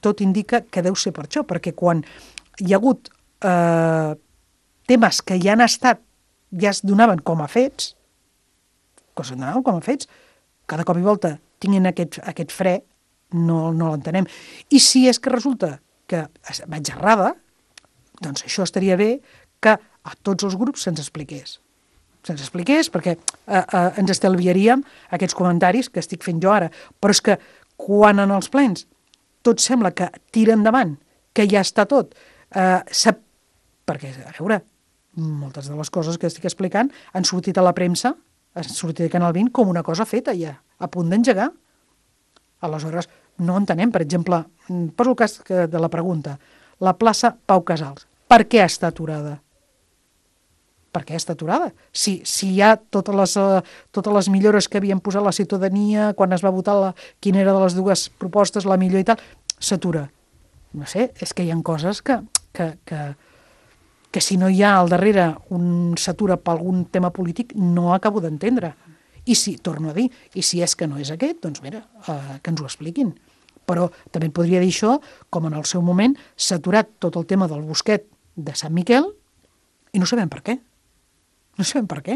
tot indica que deu ser per això, perquè quan hi ha hagut temes que ja han estat, ja es donaven com a fets, cada cop i volta tinguin aquest fre, no l'entenem. I si és que resulta que vaig errada, doncs això estaria bé que a tots els grups se'ns expliqués. Se'ns expliqués perquè ens estalviaríem aquests comentaris que estic fent jo ara. Però és que quan en els plens tot sembla que tira endavant, que ja està tot, perquè, a veure, moltes de les coses que estic explicant han sortit a la premsa, han sortit a Canal 20 com una cosa feta ja, a punt d'engegar. Aleshores, no entenem, per exemple, poso el cas de la pregunta, la plaça Pau Casals, per què està aturada? Per què està aturada? Si hi ha totes les millores que havien posat la ciutadania quan es va votar quina era de les dues propostes la millor i tal, s'atura. No sé, és que hi ha coses que si no hi ha al darrere un s'atura per algun tema polític no acabo d'entendre. I si, torno a dir, i si és que no és aquest, doncs mira, que ens ho expliquin. Però també et podria dir això, com en el seu moment s'ha aturat tot el tema del bosquet de Sant Miquel i no sabem per què. No sabem per què.